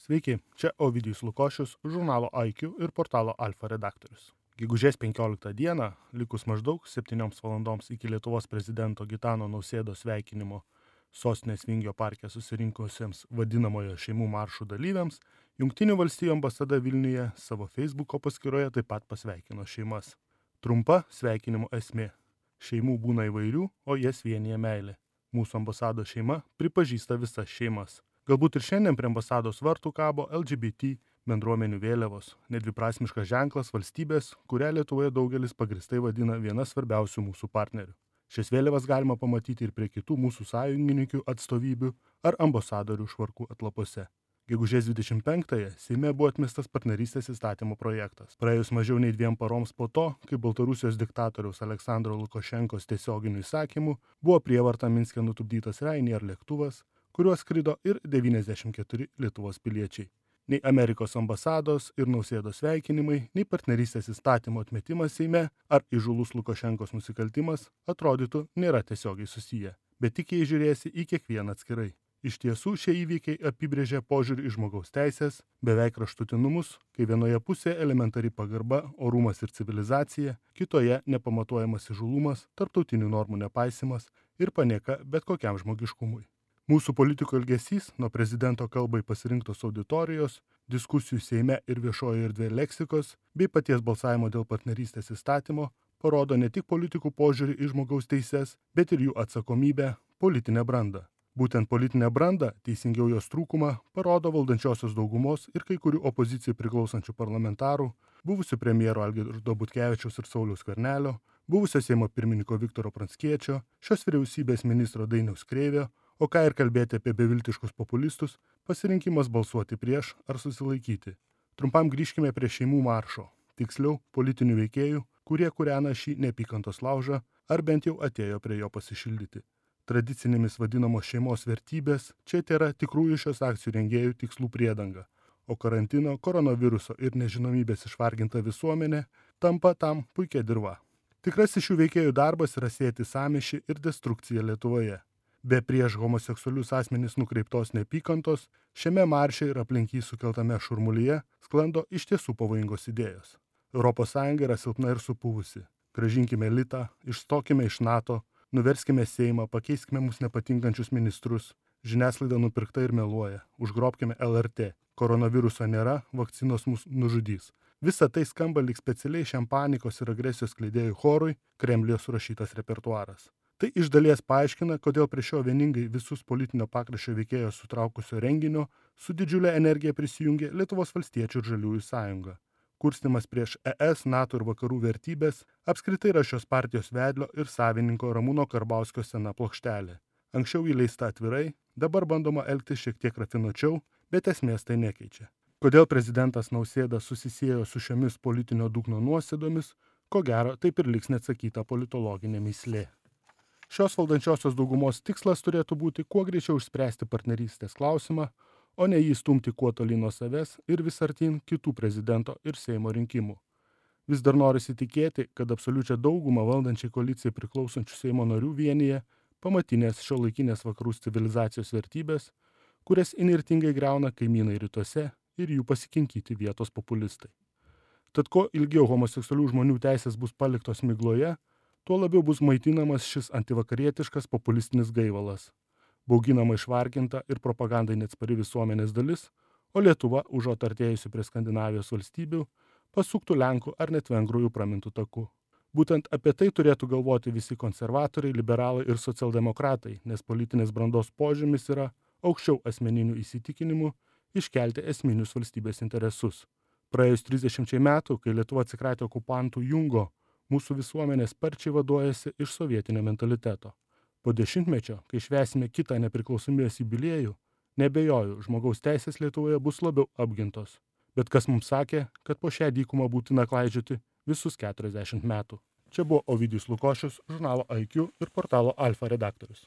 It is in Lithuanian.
Sveiki, čia Ovidijus Lukošius, žurnalo IQ ir portalo Alfa redaktorius. Gegužės 15 dieną, likus maždaug 7 valandoms iki Lietuvos prezidento Gitano Nausėdos sveikinimo sostinės Vingio parke susirinkusiems vadinamojo šeimų maršų dalyviams, Jungtinių valstijų ambasada Vilniuje savo Facebooko paskyroje taip pat pasveikino šeimas. Trumpa sveikinimo esmė. Šeimų būna įvairių, o jas vienyje meilė. Mūsų ambasados šeima pripažįsta visas šeimas. Galbūt ir šiandien prie ambasados vartų kabo LGBT bendruomenių vėliavos, nedviprasmiškas ženklas valstybės, kurią Lietuvoje daugelis pagristai vadina viena svarbiausių mūsų partnerių. Šias vėliavas galima pamatyti ir prie kitų mūsų sąjungininkių atstovybių ar ambasadorių švarkų atlapuose. Gegužės 25-ąją Seime buvo atmestas partnerystės įstatymo projektas. Praėjus mažiau nei 2 paroms po to, kai Baltarusijos diktatoriaus Aleksandro Lukašenkos tiesioginiu įsakymu buvo prievarta Minske nutupdytas Ryanair lėktuvas, kuriuo skrido ir 94 Lietuvos piliečiai. Nei Amerikos ambasados ir Nausėdos sveikinimai, nei partnerystės įstatymo atmetimas Seime ar įžūlus Lukašenkos nusikaltimas atrodytų nėra tiesiogiai susiję, bet tik jei žiūrėsi į kiekvieną atskirai. Iš tiesų šie įvykiai apibrėžia požiūrį į žmogaus teisės, beveik kraštutinumus, kai vienoje pusėje elementari pagarba, orumas ir civilizacija, kitoje nepamatuojamas įžūlumas, tarptautinių normų nepaisimas ir panieka bet kokiam žmogiškumui. Mūsų politikų elgesys nuo prezidento kalbai pasirinktos auditorijos, diskusijų Seime ir viešojoje erdvėje leksikos, bei paties balsavimo dėl partnerystės įstatymo parodo ne tik politikų požiūrį į žmogaus teises, bet ir jų atsakomybę, politinę brandą. Būtent politinę brandą, teisingiau jos trūkumą, parodo valdančiosios daugumos ir kai kurių opozicijai priklausančių parlamentarų, buvusio premjero Algirdo Butkevičiaus ir Sauliaus Skvernelio, buvusio Seimo pirmininko Viktoro Pranckiečio, šios vyriausybės ministro Dainiaus Kreivio, o ką ir kalbėti apie beviltiškus populistus, pasirinkimas balsuoti prieš ar susilaikyti. Trumpam grįžkime prie šeimų maršo, tiksliau politinių veikėjų, kurie kūrena šį neapykantos laužą ar bent jau atėjo prie jo pasišildyti. Tradicinėmis vadinamos šeimos vertybės čia tėra tikrųjų šios akcijų rengėjų tikslų priedanga, o karantino, koronaviruso ir nežinomybės išvarginta visuomenė tampa tam puikia dirva. Tikrasis šių veikėjų darbas yra sėti sąmyšį ir destrukciją Lietuvoje. Be prieš homoseksualius asmenys nukreiptos neapykantos, šiame marše ir aplink jį sukeltame šurmulyje sklando iš tiesų pavojingos idėjos. ES yra silpna ir supuvusi. Grąžinkime litą, išstokime iš NATO, nuverskime Seimą, pakeiskime mums nepatinkančius ministrus, žiniasklaida nupirkta ir meluoja, užgrobkime LRT, koronaviruso nėra, vakcinos mus nužudys. Visa tai skamba lyg specialiai šiam panikos ir agresijos skleidėjų chorui Kremliaus surašytas repertuaras. Tai iš dalies paaiškina, kodėl prie šio vieningai visus politinio pakraščio veikėjos sutraukusio renginio su didžiulė energija prisijungė Lietuvos valstiečių ir žaliųjų sąjunga. Kurstimas prieš ES, NATO ir vakarų vertybės apskritai yra šios partijos vedlio ir savininko Ramūno Karbauskio sena plokštelė. Anksčiau įleista atvirai, dabar bandoma elgtis šiek tiek rafinuočiau, bet esmės tai nekeičia. Kodėl prezidentas Nausėda susisiejo su šiomis politinio dugno nuosėdomis, ko gero taip ir liks neatsakyta politologinė mįslė. Šios valdančiosios daugumos tikslas turėtų būti kuo greičiau išspręsti partnerystės klausimą, o ne jį stumti kuo tolyn nuo savęs ir vis artyn kitų prezidento ir Seimo rinkimų. Vis dar norisi tikėti, kad absoliučią daugumą valdančiai koalicijai priklausančių Seimo narių vienyje pamatinės šiuolaikinės vakarų civilizacijos vertybės, kurias inirtingai griauna kaimynai rytuose ir jų pasikinkyti vietos populistai. Tad kuo ilgiau homoseksualių žmonių teisės bus paliktos migloje, tuo labiau bus maitinamas šis antivakarietiškas populistinis gaivalas. Bauginama išvarginta ir propagandai neatspari visuomenės dalis, o Lietuva, užuot artėjusi prie Skandinavijos valstybių, pasuktų Lenkų ar net Vengrų jų pramintų taku. Būtent apie tai turėtų galvoti visi konservatoriai, liberalai ir socialdemokratai, nes politinės brandos požymis yra aukščiau asmeninių įsitikinimų iškelti esminius valstybės interesus. Praėjus 30 metų, kai Lietuva atsikratė okupantų jungo, mūsų visuomenė sparčiai vaduojasi iš sovietinio mentaliteto. Po 10-mečio, kai švęsime kitą nepriklausomybės jubiliejų, neabejoju, žmogaus teisės Lietuvoje bus labiau apgintos. Bet kas mums sakė, kad po šią dykumą būtina klaidžioti visus 40 metų. Čia buvo Ovidijus Lukošius, žurnalo IQ ir portalo Alfa redaktorius.